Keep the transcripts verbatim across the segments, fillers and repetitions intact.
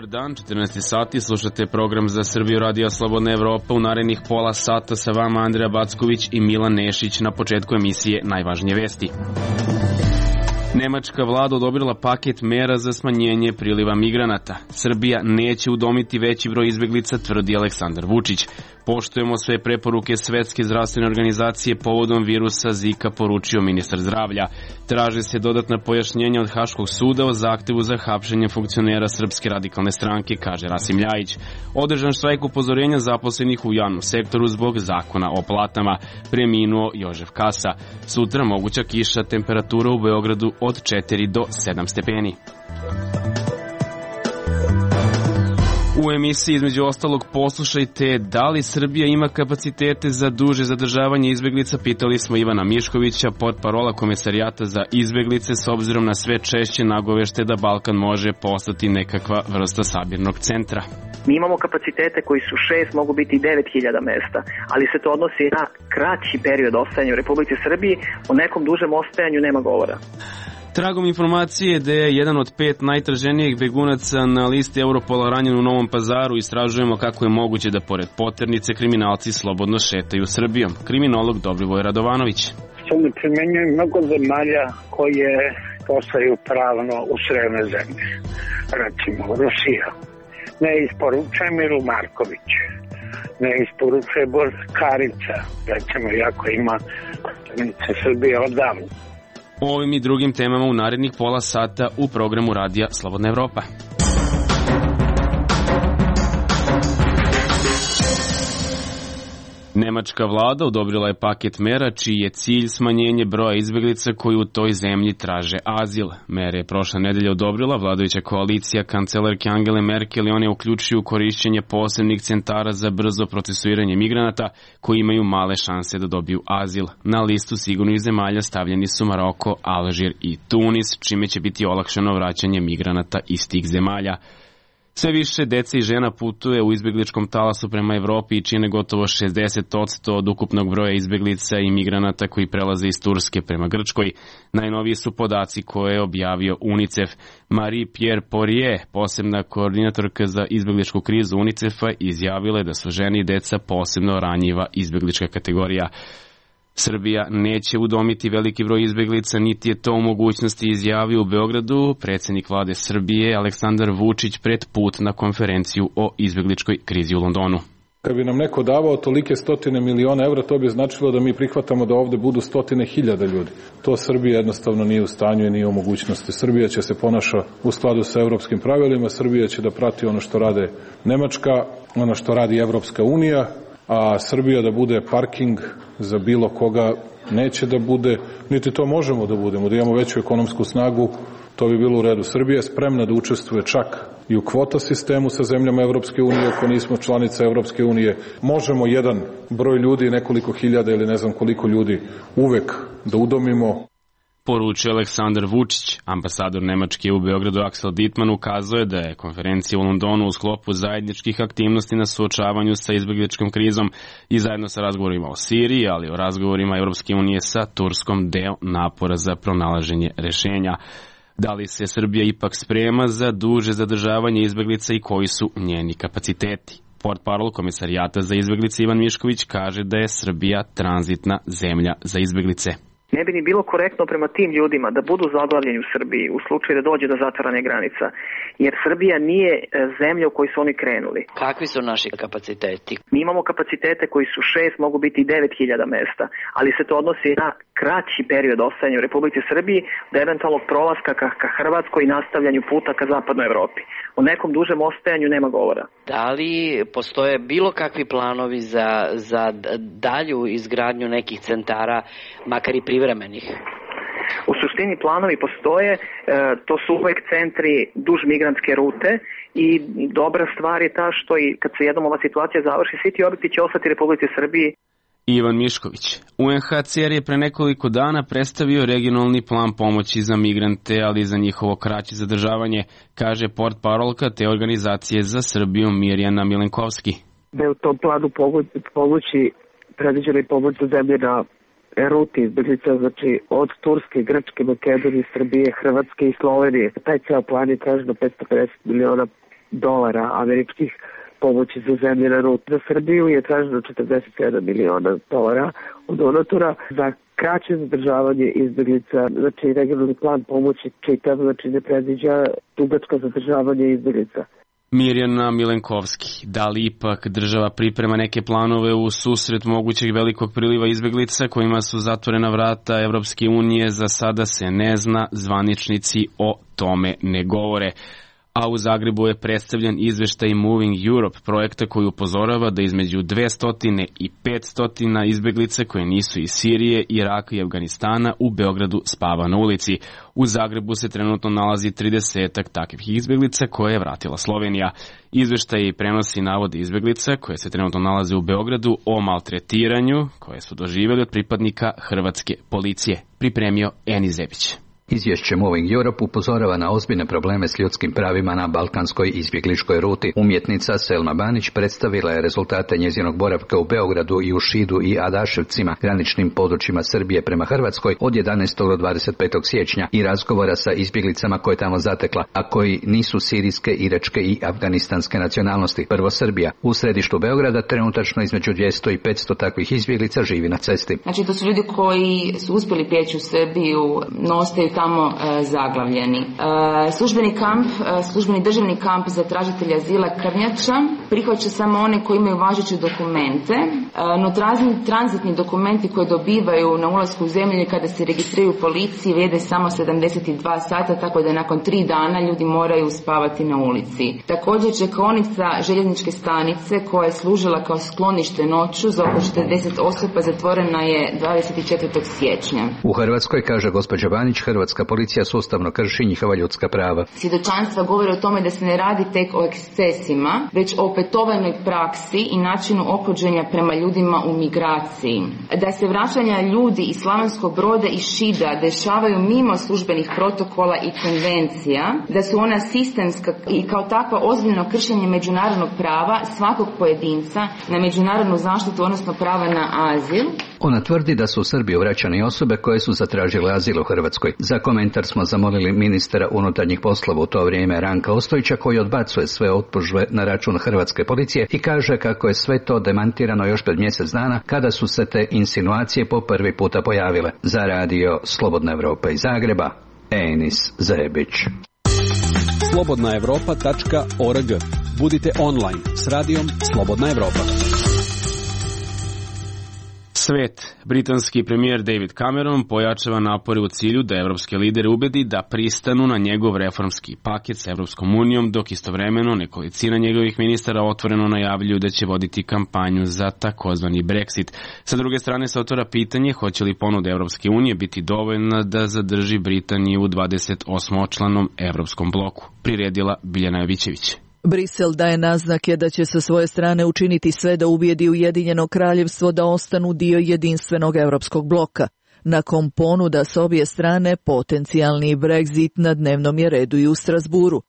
Dobar dan, četrnaest sati, slušate program za Srbiju Radio Slobodna Evropa. U narednih pola sata sa vama Andreja Backović i Milan Nešić. Na početku emisije najvažnije vesti. Nemačka vlada odobrila paket mera za smanjenje priliva migranata. Srbija neće udomiti veći broj izbeglica, tvrdi Aleksandar Vučić. Poštujemo sve preporuke Svetske zdravstvene organizacije povodom virusa Zika, poručio ministar zdravlja. Traže se dodatna pojašnjenja od Haškog suda o zahtevu za hapšenje funkcionera Srpske radikalne stranke, kaže Rasim Ljajić. Održan štrajk upozorenja zaposlenih u javnom sektoru zbog zakona o platama. Preminuo Jožef Kasa. Sutra moguća kiša, temperatura u Beogradu od četiri do sedam stepeni. U emisiji između ostalog poslušajte da li Srbija ima kapacitete za duže zadržavanje izbeglica, pitali smo Ivana Miškovića, portparola Komesarijata za izbeglice, s obzirom na sve češće nagovešte da Balkan može postati nekakva vrsta sabirnog centra. Mi imamo kapacitete koji su šest, mogu biti i devet hiljada mesta, ali se to odnosi na kraći period ostajanja u Republici Srbiji, o nekom dužem ostajanju nema govora. Tragom informacije da je jedan od pet najtraženijih begunaca na listi Europola ranjen u Novom Pazaru, istražujemo kako je moguće da pored poternice kriminalci slobodno šetaju Srbijom. Kriminolog Dobrivoj Radovanović. To ne primenjuje mnogo zemalja koje postaju pravno usrojene zemlje. Recimo Rusija. Ne isporučuje Milu Marković. Ne isporučuje Borkarica. Recimo, jako ima poternice Srbije odavno. O ovim i drugim temama u narednih pola sata u programu Radija Slobodna Evropa. Nemačka vlada odobrila je paket mera čiji je cilj smanjenje broja izbeglica koji u toj zemlji traže azil. Mere je prošle nedelje odobrila vladajuća koalicija kancelarke Angele Merkel i one uključuju korišćenje posebnih centara za brzo procesuiranje migranata koji imaju male šanse da dobiju azil. Na listu sigurnih zemalja stavljeni su Maroko, Alžir i Tunis, čime će biti olakšano vraćanje migranata iz tih zemalja. Sve više dece i žena putuje u izbegličkom talasu prema Evropi i čine gotovo šezdeset posto od ukupnog broja izbeglica i migranata koji prelaze iz Turske prema Grčkoj. Najnoviji su podaci koje je objavio UNICEF. Marie-Pierre Poirier, posebna koordinatorka za izbegličku krizu UNICEF-a, izjavila je da su žene i deca posebno ranjiva izbeglička kategorija. Srbija neće udomiti veliki broj izbeglica, niti je to u mogućnosti, izjavio u Beogradu predsjednik vlade Srbije Aleksandar Vučić pred put na konferenciju o izbegličkoj krizi u Londonu. Kad bi nam neko davao tolike stotine miliona evra, to bi značilo da mi prihvatamo da ovde budu stotine hiljada ljudi. To Srbija jednostavno nije u stanju i nije u mogućnosti. Srbija će se ponaša u skladu sa evropskim pravilima, Srbija će da prati ono što rade Nemačka, ono što radi Evropska unija, a Srbija da bude parking za bilo koga neće da bude, niti to možemo da budemo, da imamo veću ekonomsku snagu, to bi bilo u redu. Srbija je spremna da učestvuje čak i u kvota sistemu sa zemljama Evropske unije, ako nismo članica Evropske unije. Možemo jedan broj ljudi, nekoliko hiljada ili ne znam koliko ljudi, uvek da udomimo. Poručio Aleksandar Vučić. Ambasador Nemačke u Beogradu Aksel Dittmann ukazuje da je konferencija u Londonu u sklopu zajedničkih aktivnosti na suočavanju sa izbegličkom krizom i zajedno sa razgovorima o Siriji, ali o razgovorima Evropske unije sa Turskom deo napora za pronalaženje rešenja. Da li se Srbija ipak sprema za duže zadržavanje izbeglica i koji su njeni kapaciteti? Portparol Komesarijata za izbeglice Ivan Mišković kaže da je Srbija tranzitna zemlja za izbeglice. Ne bi ni bilo korektno prema tim ljudima da budu zaglavljeni u Srbiji u slučaju da dođe do zatvaranja granica, jer Srbija nije zemlja u kojoj su oni krenuli. Kakvi su naši kapaciteti? Mi imamo kapacitete koji su šest, mogu biti i devet hiljada mesta, ali se to odnosi na kraći period ostajanja u Republici Srbiji do eventualnog prolaska ka, ka Hrvatskoj i nastavljanju puta ka zapadnoj Evropi. O nekom dužem ostajanju nema govora. Da li postoje bilo kakvi planovi za, za dalju izgradnju nekih centara, makar i privremenih? U suštini planovi postoje, e, to su uvek centri duž migrantske rute i dobra stvar je ta što i kad se jednom ova situacija završi, svi ti objekti će ostati Republici Srbiji. Ivan Mišković. U en ha ce er je pre nekoliko dana predstavio regionalni plan pomoći za migrante, ali i za njihovo kraće zadržavanje, kaže portparolka te organizacije za Srbiju Mirjana Milenkovski. Da je u tom planu pomoći predviđena i pomoć za zemlje na ruti izbeglica, znači od Turske, Grčke, Makedonije, Srbije, Hrvatske i Slovenije. Taj ceo plan je tražen petsto pedeset miliona dolara američkih pomoći za zemlje na ruti. Za Srbiju je traženo četrdeset sedam miliona dolara od donatora za kraće zadržavanje izbjeglica. Znači, regionalni plan pomoći čitav, znači ne predviđa dugačko zadržavanje izbjeglica. Mirjana Milenkovski, da li ipak država priprema neke planove u susret mogućeg velikog priliva izbjeglica kojima su zatvorena vrata Evropske unije, za sada se ne zna, zvaničnici o tome ne govore. A u Zagrebu je predstavljen izveštaj Moving Europe, projekta koji upozorava da između dvesta i petsto izbjeglice koje nisu iz Sirije, Iraka i Afganistana u Beogradu spava na ulici. U Zagrebu se trenutno nalazi tridesetak takvih izbjeglica koje je vratila Slovenija. Izveštaj prenosi navode izbjeglica koje se trenutno nalaze u Beogradu o maltretiranju koje su doživjeli od pripadnika hrvatske policije. Pripremio Eni Zebić. Izvješće Moving Europe upozorava na ozbiljne probleme s ljudskim pravima na balkanskoj izbjegličkoj ruti. Umjetnica Selma Banić predstavila je rezultate njezinog boravka u Beogradu i u Šidu i Adaševcima, graničnim područjima Srbije prema Hrvatskoj, od jedanaestog do dvadeset petog siječnja i razgovora sa izbjeglicama koje tamo zatekla, a koji nisu sirijske, iračke i afganistanske nacionalnosti. Prvo Srbija. U središtu Beograda trenutačno između dvjesto i petsto takvih izbjeglica živi na cesti. Znači, to su ljudi koji su uspjeli prijeći u Srbiju, no ostaju tamo e, zaglavljeni. E, službeni kamp, e, službeni državni kamp za tražitelja azila Krnjača prihvaća samo one koji imaju važeće dokumente, e, no trazni, tranzitni dokumenti koje dobivaju na ulasku u zemlju kada se registriraju u policiji vrijede samo sedamdeset dva sata, tako da nakon tri dana ljudi moraju spavati na ulici. Također čekaonica željezničke stanice koja je služila kao sklonište noću za oko četrdeset osoba zatvorena je dvadeset četvrtog siječnja. U Hrvatskoj, kaže gospođa Banić, hrvatska policija sustavno krši njihova ljudska prava. Svjedočanstva govore o tome da se ne radi tek o ekscesima, već o opetovanoj praksi i načinu ophođenja prema ljudima u migraciji. Da se vraćanja ljudi iz Slavonskog Broda i Šida dešavaju mimo službenih protokola i konvencija, da su ona sistemska i kao takva ozbiljno kršenje međunarodnog prava svakog pojedinca na međunarodnu zaštitu, odnosno prava na azil. Ona tvrdi da su u Srbiju vraćane osobe koje su zatražile azil u Hrvatskoj. Za komentar smo zamolili ministra unutarnjih poslova u to vrijeme Ranka Ostojića, koji odbacuje sve optužbe na račun hrvatske policije i kaže kako je sve to demantirano još pred mjesec dana kada su se te insinuacije po prvi puta pojavile. Za radio Slobodna Evropa iz Zagreba, Enis Zebić. slobodna evropa tačka org. Budite online s radijom Slobodna Evropa. Svet. Britanski premijer David Cameron pojačava napore u cilju da evropske lidere ubedi da pristanu na njegov reformski paket sa Evropskom unijom, dok istovremeno nekolicina njegovih ministara otvoreno najavljuju da će voditi kampanju za takozvani Brexit. Sa druge strane se otvara pitanje hoće li ponuda Evropske unije biti dovoljna da zadrži Britaniju u dvadeset osmočlanom evropskom bloku. Priredila Biljana Jovićević. Brisel daje naznake da će sa svoje strane učiniti sve da ubijedi Ujedinjeno kraljevstvo da ostanu dio jedinstvenog evropskog bloka. Nakon ponuda s obje strane, potencijalni Brexit na dnevnom je redu i u Strasburu.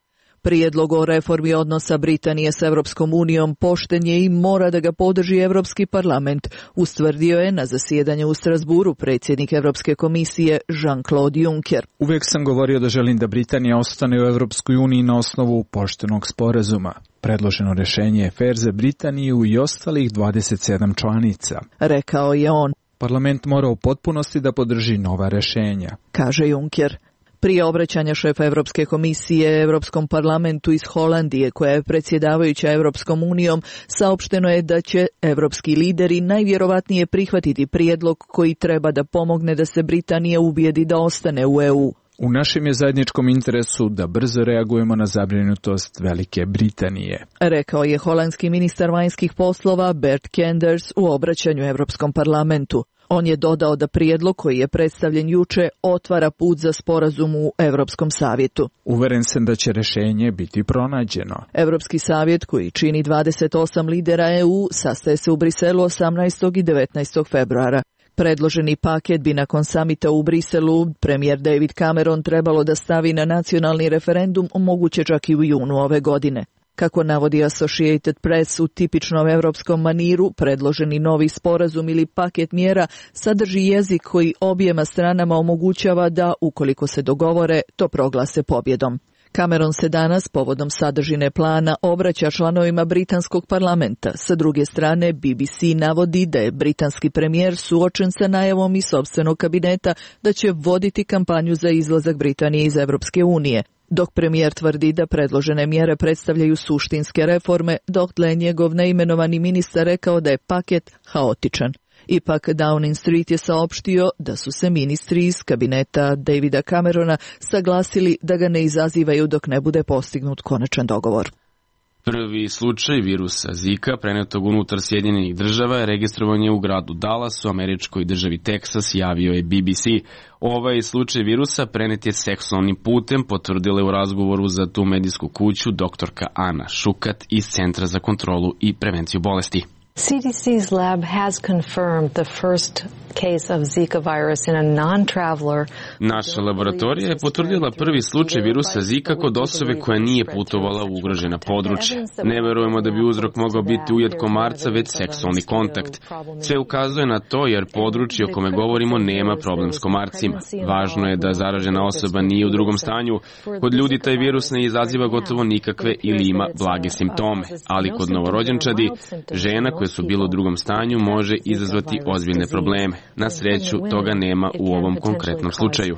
Prijedlog o reformi odnosa Britanije s Evropskom unijom pošten je i mora da ga podrži Evropski parlament, ustvrdio je na zasjedanju u Strasburu predsjednik Evropske komisije Jean-Claude Juncker. Uvijek sam govorio da želim da Britanija ostane u Evropskoj uniji na osnovu poštenog sporazuma. Predloženo rješenje je fer za Britaniju i ostalih dvadeset sedam članica, rekao je on. Parlament mora u potpunosti da podrži nova rješenja, kaže Juncker. Prije obraćanja šefa Evropske komisije Evropskom parlamentu iz Holandije, koja je predsjedavajuća Evropskom unijom, saopšteno je da će evropski lideri najvjerovatnije prihvatiti prijedlog koji treba da pomogne da se Britanija ubijedi da ostane u E U. U našem je zajedničkom interesu da brzo reagujemo na zabrinutost Velike Britanije, rekao je holandski ministar vanjskih poslova Bert Kenders u obraćanju Evropskom parlamentu. On je dodao da prijedlog koji je predstavljen juče otvara put za sporazum u Evropskom savjetu. Uveren sam da će rješenje biti pronađeno. Evropski savjet, koji čini dvadeset osam lidera E U, sastaje se u Briselu osamnaestog i devetnaestog februara. Predloženi paket bi nakon samita u Briselu premijer David Cameron trebalo da stavi na nacionalni referendum, moguće čak i u junu ove godine. Kako navodi Associated Press, u tipičnom evropskom maniru, predloženi novi sporazum ili paket mjera sadrži jezik koji objema stranama omogućava da, ukoliko se dogovore, to proglase pobjedom. Cameron se danas povodom sadržine plana obraća članovima britanskog parlamenta. Sa druge strane, B B C navodi da je britanski premijer suočen sa najavom iz sopstvenog kabineta da će voditi kampanju za izlazak Britanije iz Evropske unije, dok premijer tvrdi da predložene mjere predstavljaju suštinske reforme, dotle je njegov neimenovani ministar rekao da je paket haotičan. Ipak Downing Street je saopštio da su se ministri iz kabineta Davida Camerona saglasili da ga ne izazivaju dok ne bude postignut konačan dogovor. Prvi slučaj virusa Zika prenetog unutar Sjedinjenih država je registrovan je u gradu Dallas u američkoj državi Teksas, javio je B B C. Ovaj slučaj virusa prenet je seksualnim putem, potvrdila je u razgovoru za tu medijsku kuću doktorka Ana Šukat iz Centra za kontrolu i prevenciju bolesti. C D C's lab has confirmed the first case of Zika virus in a non-traveler. Naša laboratorija je potvrdila prvi slučaj virusa Zika kod osobe koja nije putovala u ugrožena područja. Ne verujemo da bi uzrok mogao biti ujed komarca, već seksualni kontakt. Sve ukazuje na to jer područje o kome govorimo nema problem s komarcima. Važno je da zaražena osoba nije u drugom stanju. Kod ljudi taj virus ne izaziva gotovo nikakve ili ima blage simptome, ali kod novorođenčadi, žena koja su bile u drugom stanju može izazvati ozbiljne probleme. Na sreću, toga nema u ovom konkretnom slučaju.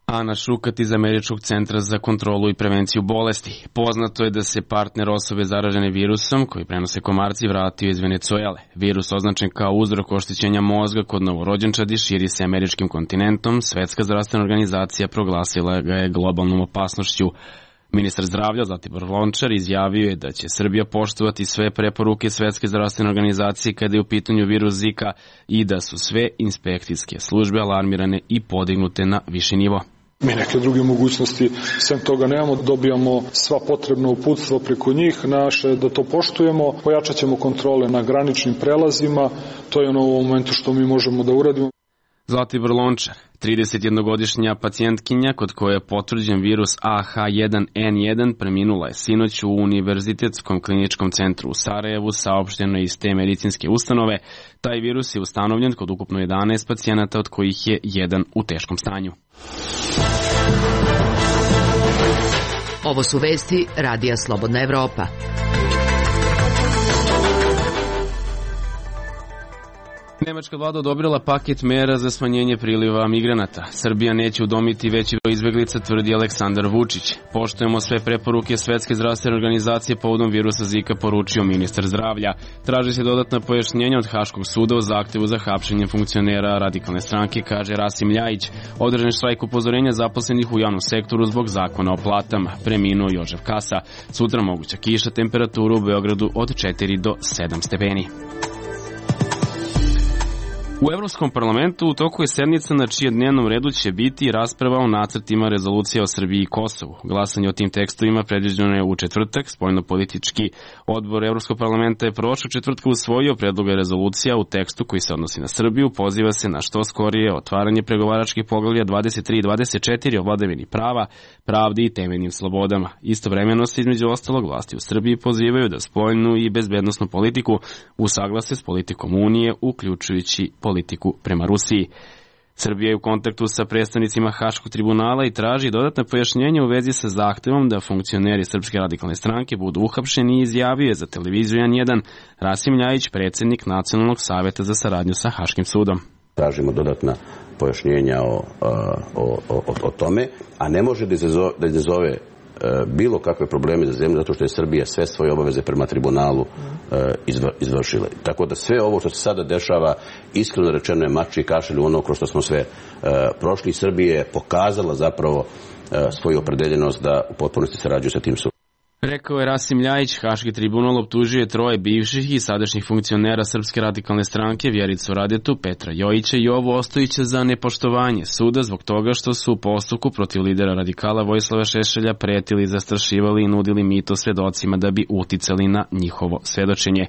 Ana Šukat iz Američkog centra za kontrolu i prevenciju bolesti. Poznato je da se partner osobe zaražene virusom, koji prenose komarci, vratio iz Venecuele. Virus označen kao uzrok oštećenja mozga kod novorođenčadi širi se američkim kontinentom. Svetska zdravstvena organizacija proglasila ga je globalnom opasnošću. Ministar zdravlja Zlatibor Lončar izjavio je da će Srbija poštovati sve preporuke Svetske zdravstvene organizacije kada je u pitanju virus Zika i da su sve inspekcijske službe alarmirane i podignute na viši nivo. Mi neke druge mogućnosti sem toga nemamo, dobijamo sva potrebna uputstva preko njih, naše da to poštujemo, pojačat ćemo kontrole na graničnim prelazima, to je ono u momentu što mi možemo da uradimo. Zlatibor Lončar, tridesetjednogodišnja pacijentkinja kod koje je potvrđen virus A H jedan N jedan, preminula je sinoć u Univerzitetskom kliničkom centru u Sarajevu, saopšteno iz te medicinske ustanove. Taj virus je ustanovljen kod ukupno jedanaest pacijenata, od kojih je jedan u teškom stanju. Ovo su vesti Radija Slobodna Evropa. Nemačka vlada odobrila paket mera za smanjenje priliva migranata. Srbija neće udomiti veći broj izbeglica, tvrdi Aleksandar Vučić. Poštujemo sve preporuke Svetske zdravstvene organizacije povodom virusa Zika, poručio ministar zdravlja. Traži se dodatna pojašnjenja od Haškog suda o zahtevu za hapšenje funkcionera radikalne stranke, kaže Rasim Ljajić. Održan je štrajk upozorenja zaposlenih u javnom sektoru zbog zakona o platama. Preminuo Jožef Kasa. Sutra moguća kiša, temperaturu u Beogradu od četiri do sedam stepeni. U Evropskom parlamentu u toku je sednica na čijem dnevnom redu će biti rasprava o nacrtima rezolucija o Srbiji i Kosovu. Glasanje o tim tekstovima predviđeno je u četvrtak. Spoljno-politički odbor Evropskog parlamenta je prošlog četvrtka usvojio predloge rezolucija u tekstu koji se odnosi na Srbiju. Poziva se na što skorije otvaranje pregovaračkih poglavlja dvadeset tri i dvadeset četiri o vladavini prava, pravdi i temeljnim slobodama. Istovremeno se između ostalog vlasti u Srbiji pozivaju da spoljnu i bezbednosnu politiku usaglase s politikom Unije, uključujući politiku prema Rusiji. Srbija je u kontaktu sa predstavnicima Haškog tribunala i traži dodatne pojašnjenje u vezi sa zahtevom da funkcioneri Srpske radikalne stranke budu uhapšeni i izjavio je za televiziju N jedan Rasim Ljajić, predsjednik Nacionalnog saveta za saradnju sa Haškim sudom. Tražimo dodatna pojašnjenja o, o, o, o tome, a ne može da izazove, da izazove bilo kakve probleme za zemlju, zato što je Srbija sve svoje obaveze prema tribunalu izvršila. Tako da sve ovo što se sada dešava, iskreno rečeno je mač i kašalj u ono kroz što smo sve prošli. Srbija je pokazala zapravo svoju opredeljenost da u potpunosti sarađuje sa tim sudom. Rekao je Rasim Ljajić. Haški tribunal optužuje troje bivših i sadašnjih funkcionera Srpske radikalne stranke, Vjericu Radetu, Petra Jojića i Jovu Ostojića za nepoštovanje suda zbog toga što su u postupku protiv lidera radikala Vojislava Šešelja pretili, zastrašivali i nudili mito svedocima da bi uticali na njihovo svedočenje.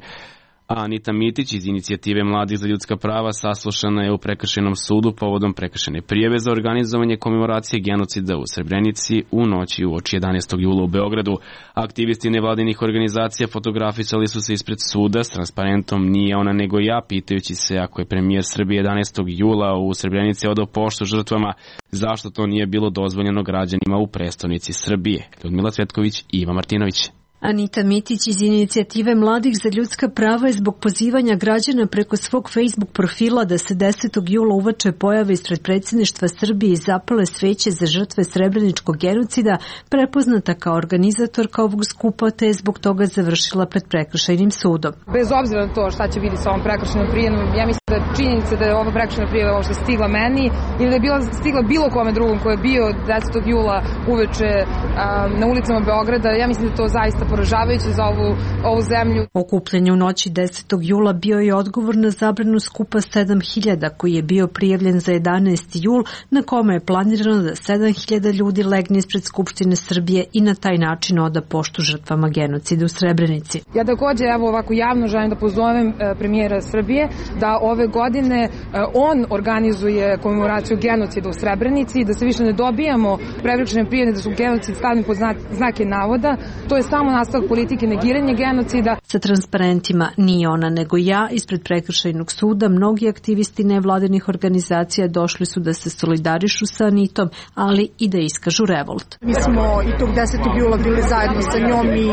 A Anita Mitić iz Inicijative mladih za ljudska prava saslušana je u prekršajnom sudu povodom prekršajne prijave za organizovanje komemoracije genocida u Srebrenici u noći uoči jedanaestog jula u Beogradu. Aktivisti nevladinih organizacija fotografisali su se ispred suda s transparentom "Nije ona nego ja", pitajući se ako je premijer Srbije jedanaestog jula u Srebrenici odao poštu žrtvama, zašto to nije bilo dozvoljeno građanima u prestonici Srbije. Ljudmila Cvetković i Iva Martinović. Anita Mitić iz Inicijative mladih za ljudska prava je zbog pozivanja građana preko svog Facebook profila da se desetog jula uveče pojave ispred predsjedništva Srbije i zapale sveće za žrtve srebreničkog genocida prepoznata kao organizatorka ovog skupa, te je zbog toga završila pred prekršajnim sudom. Bez obzira na to šta će vidjeti sa ovom prekršajnom prijavom, ja mislim da činjenica da je ova prekršajna prijava uopšte stigla meni ili da je bila stigla bilo kome drugom ko je bio desetog jula uveče a, na ulicama Beograda, ja mislim da to zaista poražavajuće za ovu, ovu zemlju. Okupljenje u noći desetog jula bio je odgovor na zabranu skupa sedam hiljada koji je bio prijavljen za jedanaesti jul, na kome je planirano da sedam hiljada ljudi legne ispred Skupštine Srbije i na taj način oda poštu žrtvama genocida u Srebrenici. Ja takođe evo ovako javno želim da pozovem e, premijera Srbije da ove godine e, on organizuje komemoraciju genocida u Srebrenici, da se više ne dobijamo prekršajne prijave da su genocid stavljeni pod znak, znake navoda. To je samo nastavak politike negiranja genocida. Sa transparentima "Nije ona nego ja" ispred prekršajnog suda mnogi aktivisti nevladinih organizacija došli su da se solidarišu sa Anitom, ali i da iskažu revolt. Mi smo i tog desetog jula bili zajedno sa njom i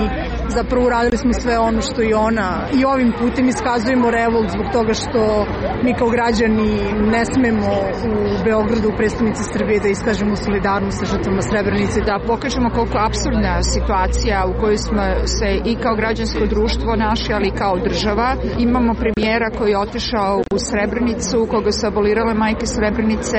zapravo uradili smo sve ono što i ona, i ovim putem iskazujemo revolt zbog toga što mi kao građani ne smemo u Beogradu, u prestonici Srbije, da iskažemo solidarnost sa žrtvama Srebrenice. Da pokažemo koliko apsurdna situacija u kojoj smo se i kao građansko društvo našli, ali i kao država. Imamo premijera koji je otišao u Srebrenicu, koga su abolirale majke Srebrenice,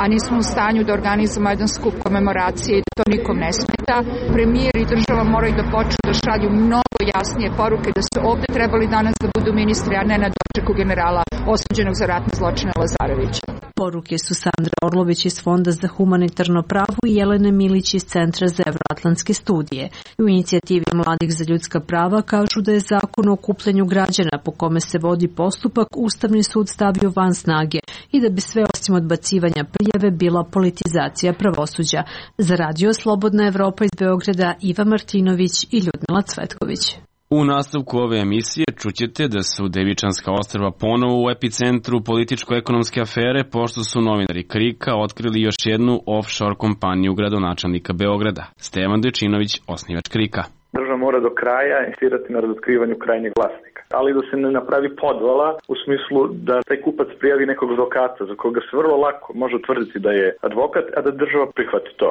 a nismo u stanju da organizujemo jedan skup komemoracije i to nikom ne smeta. Premijer i država moraju da počnu da šalju mnogo jasnije poruke da su ovde trebali danas da budu ministri, a ne na dočeku generala osuđenog za ratne zločine Lazarevića. Poruke su Sandra Orlović iz Fonda za humanitarno pravo i Jelena Milić iz Centra za evroatlantske studije. U Inicijativi mladih za ljudska prava kažu da je zakon o okupljanju građana po kome se vodi postupak Ustavni sud stavio van snage i da bi sve osim odbacivanja prijave bila politizacija pravosuđa. Za Radio Slobodna Evropa iz Beograda Iva Martinović i Ljudmila Cvetković. U nastavku ove emisije čućete da su Devičanska ostrva ponovo u epicentru političko-ekonomske afere, pošto su novinari Krika otkrili još jednu offshore kompaniju gradonačelnika Beograda. Stevan Dečinović, osnivač Krika. Država mora do kraja insistirati na razotkrivanju krajnjeg vlasnika, ali da se ne napravi podvala u smislu da taj kupac prijavi nekog advokata za koga se vrlo lako može utvrditi da je advokat, a da država prihvati to.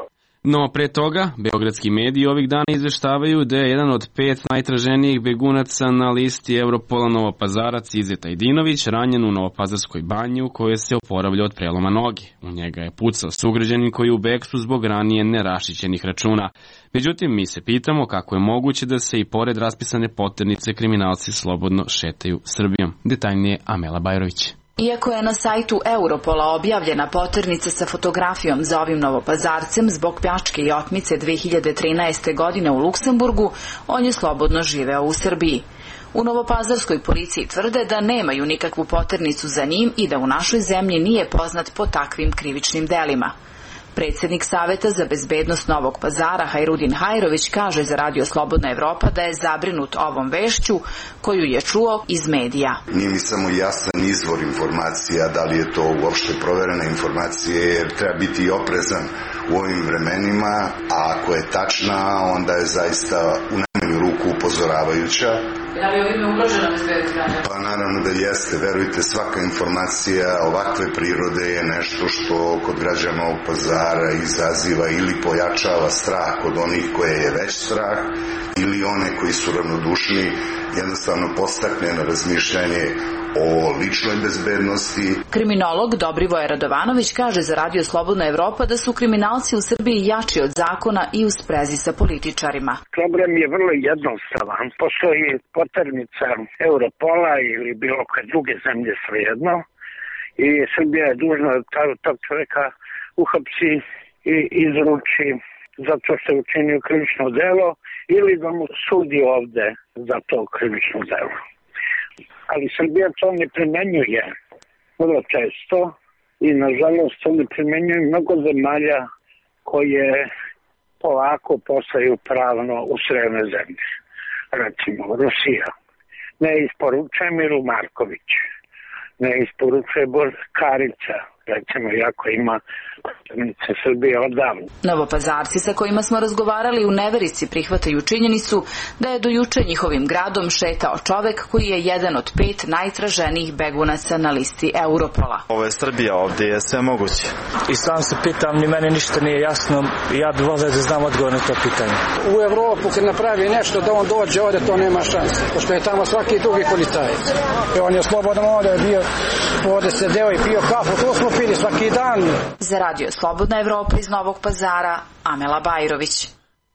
No, pre toga, beogradski mediji ovih dana izveštavaju da je jedan od pet najtraženijih begunaca na listi Europola Novopazarac Izeta Idinović ranjen u Novopazarskoj banji u kojoj se oporavlja od preloma noge. U njega je pucao sugrađanin koji je u bekstvu zbog ranije nerašićenih računa. Međutim, mi se pitamo kako je moguće da se i pored raspisane poternice kriminalci slobodno šetaju Srbijom. Detaljnije Amela Bajrović. Iako je na sajtu Europola objavljena poternica sa fotografijom za ovim Novopazarcem zbog pljačke i otmice dve hiljade trinaeste. godine u Luksemburgu, on je slobodno živeo u Srbiji. U Novopazarskoj policiji tvrde da nemaju nikakvu poternicu za njim i da u našoj zemlji nije poznat po takvim krivičnim delima. Predsjednik Saveta za bezbednost Novog Pazara Hajrudin Hajrović kaže za Radio Slobodna Evropa da je zabrinut ovom vešću koju je čuo iz medija. Nije mi samo jasan izvor informacija, da li je to uopšte proverena informacija, jer treba biti oprezan u ovim vremenima, a ako je tačna, onda je zaista u najmanju ruku upozoravajuća. Da li ovime ugrožena bezbednost građana? Pa naravno da jeste, verujte, svaka informacija ovakve prirode je nešto što kod građana Novog Pazara izaziva ili pojačava strah kod onih koje je već strah, ili one koji su ravnodušni, jednostavno postakne na razmišljanje o ličnoj bezbednosti. Kriminolog Dobrivoje Radovanović kaže za Radio Slobodna Evropa da su kriminalci u Srbiji jači od zakona i u sprezi sa političarima. Problem je vrlo jednostavan. Postoji poternica Europola ili bilo koje druge zemlje svejedno i Srbija je dužna da tog čovjeka uhapsi i izruči zato što je učinio krivično delo ili da mu sudi ovde za to krivično delo. Ali Srbija to ne primenjuje vrlo često i nažalost to ne primenjuje mnogo zemalja koje polako postaju pravno usrevne zemlje. Recimo Rusija. Ne isporučuje Milu Marković, ne isporučuje Karića, recimo, jako ima potrebnice Srbije odavno. Novopazarci sa kojima smo razgovarali u neverici prihvataju činjenicu da je do juče njihovim gradom šetao čovek koji je jedan od pet najtraženijih begunaca na listi Europola. Ovo je Srbija, ovdje je sve moguće. I sam se pitam, ni meni ništa nije jasno, ja bih volio da znam odgovor na to pitanje. U Evropu kad napravi nešto da on dođe ovdje, to nema šanse, pošto je tamo svaki drugi policajac. I on je slobodan ovdje bio, ovdje sedeo i pio kafu, to smo pili svaki dan. Za Radio Slobodna Evropa iz Novog Pazara, Amela Bajrović.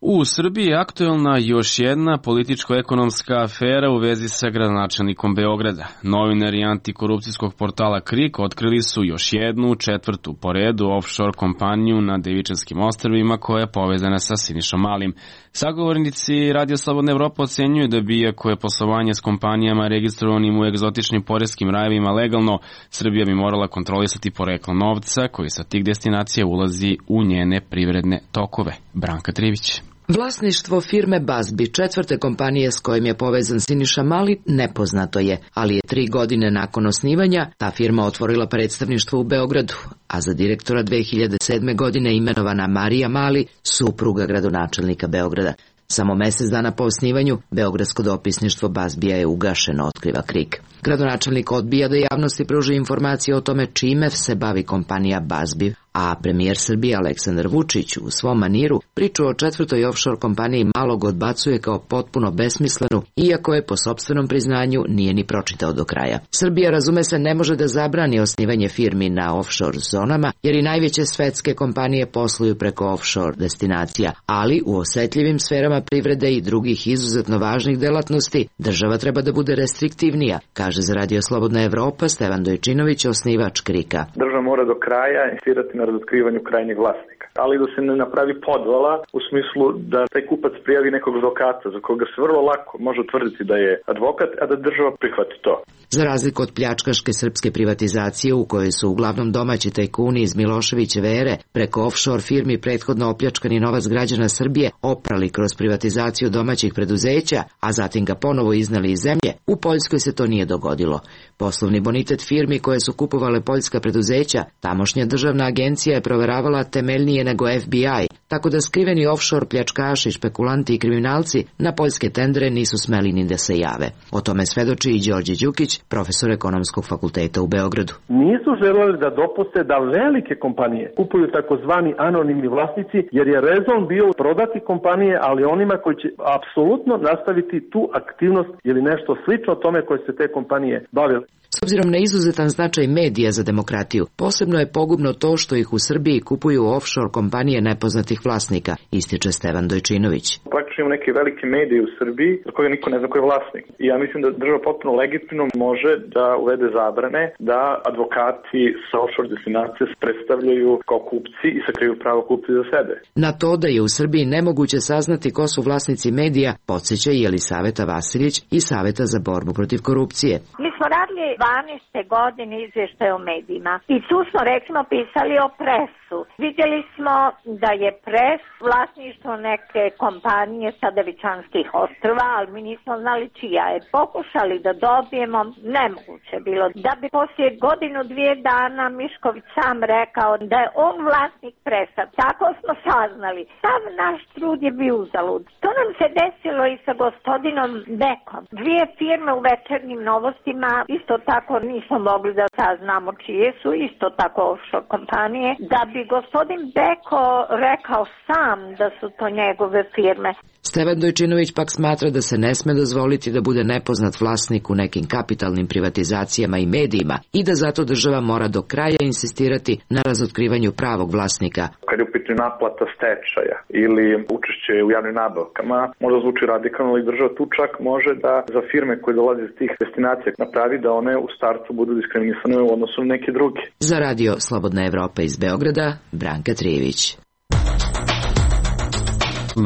U Srbiji je aktuelna još jedna političko-ekonomska afera u vezi sa gradonačelnikom Beograda. Novinari antikorupcijskog portala Krik otkrili su još jednu, četvrtu po redu offshore kompaniju na Devičanskim ostrvima koja je povezana sa Sinišom Malim. Sagovornici Radio Slobodna Evropa ocenjuju da bi, iako je poslovanje s kompanijama registrovanim u egzotičnim poreskim rajevima legalno, Srbija bi morala kontrolisati poreklo novca koji sa tih destinacija ulazi u njene privredne tokove. Branka Trivić. Vlasništvo firme Bazbi, četvrte kompanije s kojim je povezan Siniša Mali, nepoznato je, ali je tri godine nakon osnivanja ta firma otvorila predstavništvo u Beogradu, a za direktora dve hiljade sedme. godine imenovana Marija Mali, supruga gradonačelnika Beograda. Samo mjesec dana po osnivanju, beogradsko dopisništvo Bazbija je ugašeno, otkriva Krik. Gradonačelnik odbija da javnosti pruži informacije o tome čime se bavi kompanija Bazbi, a premijer Srbije Aleksandar Vučić u svom maniru priču o četvrtoj offshore kompaniji malog odbacuje kao potpuno besmislenu, iako je po sopstvenom priznanju nije ni pročitao do kraja. Srbija, razume se, ne može da zabrani osnivanje firmi na offshore zonama, jer i najveće svetske kompanije posluju preko offshore destinacija, ali u osetljivim sferama privrede i drugih izuzetno važnih delatnosti država treba da bude restriktivnija, kaže za Radio Slobodna Evropa Stevan Dojčinović, osnivač Krika. Država mora do kraja insistirati na razotkrivanju krajnjeg vlasnika, ali da se ne napravi podvala u smislu da taj kupac prijavi nekog advokata za koga se vrlo lako može utvrditi da je advokat, a da država prihvati to. Za razliku od pljačkaške srpske privatizacije u kojoj su uglavnom domaći tajkuni iz Miloševićeve ere preko offshore firmi prethodno opljačkani novac građana Srbije oprali kroz privatizaciju domaćih preduzeća, a zatim ga ponovo iznali iz zemlje, u Poljskoj se to nije dogodilo. Poslovni bonitet firmi koje su kupovale poljska preduzeća, tamošnja državna agencija je proveravala temeljnije nego F B I, tako da skriveni offshore pljačkaši, špekulanti i kriminalci na poljske tendere nisu smeli ni da se jave. O tome svedoči i Đorđe Đukić, profesor ekonomskog fakulteta u Beogradu. Nisu želeli da dopuste da velike kompanije kupuju takozvani anonimni vlasnici, jer je rezon bio prodati kompanije, ali onima koji će apsolutno nastaviti tu aktivnost ili nešto slično tome koje se te kompanije bavile. S obzirom na izuzetan značaj medija za demokratiju, posebno je pogubno to što ih u Srbiji kupuju offshore kompanije nepoznatih vlasnika, ističe Stevan Dojčinović. Praktično imamo neke velike medije u Srbiji za koje niko ne zna ko je vlasnik. I ja mislim da država potpuno legitimno može da uvede zabrane da advokati sa offshore destinacije se predstavljaju kao kupci i sakriju pravo kupci za sebe. Na to da je u Srbiji nemoguće saznati ko su vlasnici medija, podsjeća i Jelisaveta Vasiljić iz Saveta za borbu protiv korupcije. Mi smo radili dvanaeste godine izvještaj o medijima i tu smo recimo pisali o Presu. Vidjeli smo da je Pres vlasništvo neke kompanije sa Devičanskih ostrva, ali mi nismo znali čija je. Pokušali da dobijemo, nemoguće bilo. Da bi poslije godinu dvije dana Mišković sam rekao da je on vlasnik Presa. Tako smo saznali. Sav naš trud je bio uzalud. To nam se desilo i sa gospodinom Bekom. Dvije firme u Večernjim novostima isto tako nismo mogli da saznamo čije su, isto tako offshore kompanije, da bi gospodin Beko rekao sam da su to njegove firme. Stevan Dojčinović pak smatra da se ne sme dozvoliti da bude nepoznat vlasnik u nekim kapitalnim privatizacijama i medijima i da zato država mora do kraja insistirati na razotkrivanju pravog vlasnika. Kad je u pitanju naplata stečaja ili učešće u javnim nabavkama, možda zvuči radikalno, ali država tu čak može da za firme koje dolaze iz tih destinacija napravi da one u startu budu diskriminisane u odnosu na neke druge. Za Radio Slobodna Evropa iz Beograda, Branka Trijević.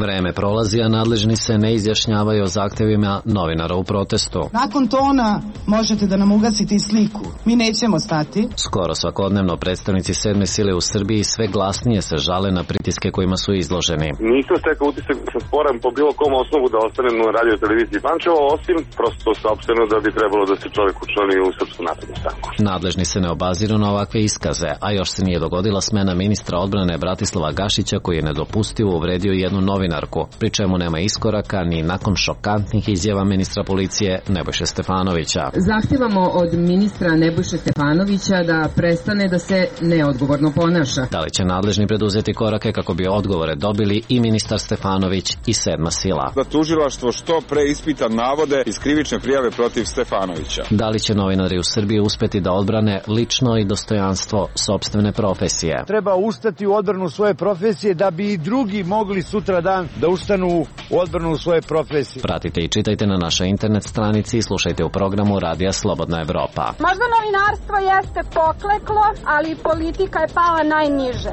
Vreme prolazi, a nadležni se ne izjašnjavaju o zahtevima novinara u protestu. Nakon tona možete da nam ugasite i sliku. Mi nećemo stati. Skoro svakodnevno predstavnici sedme sile u Srbiji sve glasnije se žale na pritiske kojima su izloženi. Nisam stekao utisak da sam sporan po bilo kom osnovu da ostanem na radio televiziji Pančevo, osim prosto saopšteno da bi trebalo da se čovjek učlani u Srpsku naprednu stranku. Nadležni se ne obaziru na ovakve iskaze, a još se nije dogodila smena ministra odbrane Bratislava Gašića koji je nedopustivo uvredio jednu novinarku, pri čemu nema iskoraka ni nakon šokantnih izjava ministra policije Nebojše Stefanovića. Zahtevamo od ministra Nebojše Stefanovića da prestane da se neodgovorno ponaša. Da li će nadležni preduzeti korake kako bi odgovore dobili i ministar Stefanović i sedma sila? Da tužilaštvo što pre ispita navode iz krivične prijave protiv Stefanovića. Da li će novinari u Srbiji uspeti da odbrane lično i dostojanstvo sopstvene profesije? Treba ustati u odbranu svoje profesije da bi i drugi mogli sutra dan da ustanu u odbranu svoje profesije. Pratite i čitajte na našoj internet stranici i slušajte u programu Radija Slobodna Evropa. Možda novinarstvo jeste pokleklo, ali politika je pala najniže.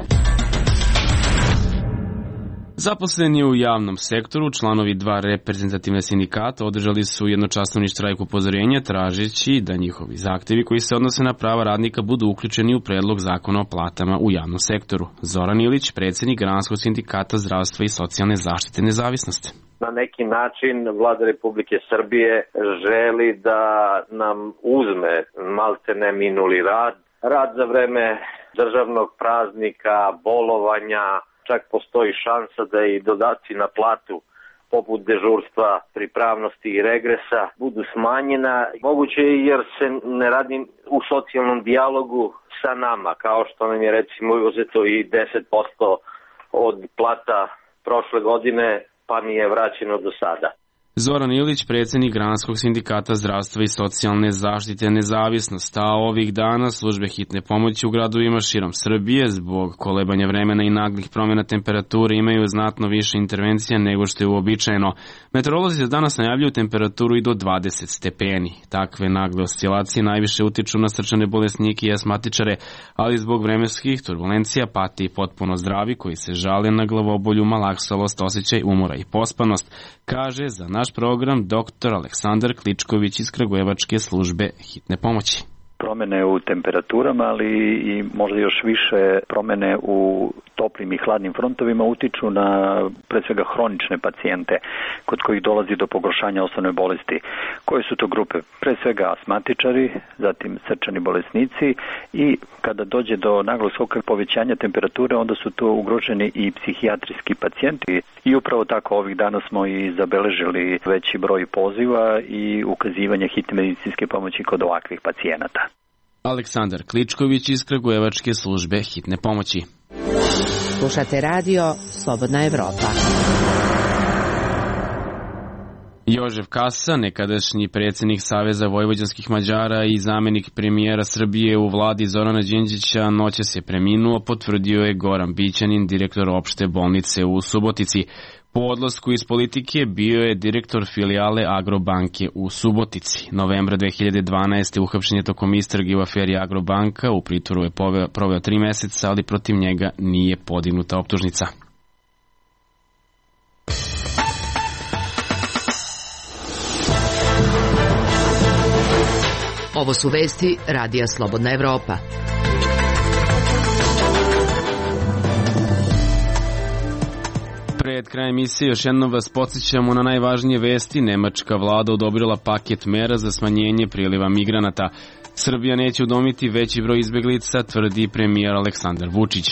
Zaposleni u javnom sektoru, članovi dva reprezentativne sindikata održali su jednočasovni štrajk upozorenja tražeći da njihovi zahtevi koji se odnose na prava radnika budu uključeni u predlog zakona o platama u javnom sektoru. Zoran Ilić, predsjednik Granskog sindikata zdravstva i socijalne zaštite nezavisnosti. Na neki način Vlada Republike Srbije želi da nam uzme maltene minuli rad, rad za vreme državnog praznika, bolovanja. Čak postoji šansa da i dodaci na platu poput dežurstva, pripravnosti i regresa budu smanjena. Moguće je jer se ne radi u socijalnom dijalogu sa nama, kao što nam je recimo uzeto i deset posto od plata prošle godine, pa mi je vraćeno do sada. Zoran Ilić, predsjednik Granskog sindikata zdravstva i socijalne zaštite nezavisnost, a ovih dana službe hitne pomoći u gradovima širom Srbije zbog kolebanja vremena i naglih promjena temperature imaju znatno više intervencija nego što je uobičajeno. Meteorolozi za danas najavljuju temperaturu i do dvadeset stepeni. Takve nagle oscilacije najviše utiču na srčane bolesnike i asmatičare, ali zbog vremenskih turbulencija pati i potpuno zdravi koji se žale na glavobolju, malaksalost, osjećaj umora i pospanost, kaže za naš program doktor Aleksandar Kličković iz Kragujevačke službe hitne pomoći. Promene u temperaturama, ali i možda još više promene u toplim i hladnim frontovima utiču na pre svega hronične pacijente kod kojih dolazi do pogoršanja osnovne bolesti. Koje su to grupe? Pre svega asmatičari, zatim srčani bolesnici i kada dođe do naglog skoka povećanja temperature, onda su to ugroženi i psihijatrijski pacijenti i upravo tako ovih dana smo i zabeležili veći broj poziva i ukazivanja hitne medicinske pomoći kod ovakvih pacijenata. Aleksandar Kličković iz Kragujevačke službe hitne pomoći. Slušate radio Slobodna Evropa. Jožef Kasa, nekadašnji predsjednik Saveza vojvođanskih Mađara i zamjenik premijera Srbije u vladi Zorana Đinđića, noćas je preminuo, potvrdio je Goran Bićanin, direktor opšte bolnice u Subotici. Po odlasku iz politike bio je direktor filijale Agrobanke u Subotici. Novembra dve hiljade dvanaeste. uhapšen je tokom istrage u aferi Agrobanka, u pritvoru je proveo tri meseca, ali protiv njega nije podignuta optužnica. Ovo su vesti Radija Slobodna Evropa. Pred krajem emisije još jednom vas podsjećamo na najvažnije vesti. Nemačka vlada odobrila paket mera za smanjenje priliva migranata. Srbija neće udomiti veći broj izbeglica, tvrdi premijer Aleksandar Vučić.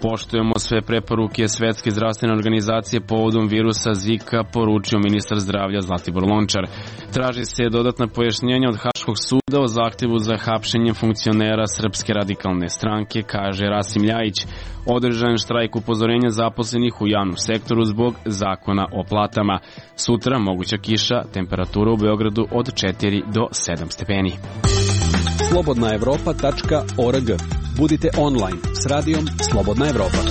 Poštujemo sve preporuke Svetske zdravstvene organizacije povodom virusa Zika, poručio ministar zdravlja Zlatibor Lončar. Traži se dodatna pojašnjenja od Haškog suda o zahtjevu za hapšenjem funkcionera Srpske radikalne stranke, kaže Rasim Ljajić. Održan štrajk upozorenja zaposlenih u javnom sektoru zbog zakona o platama. Sutra moguća kiša, temperatura u Beogradu od četiri do sedam stepeni. slobodna evropa tačka org. Budite online s radijom Slobodna Evropa.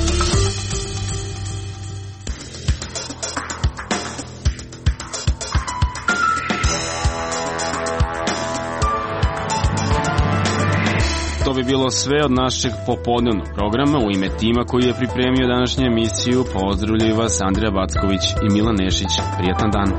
bi bilo sve od našeg popodnevnog programa. U ime tima koji je pripremio današnju emisiju pozdravljaju vas Andrija Backović i Milan Nešić. Prijetan dan.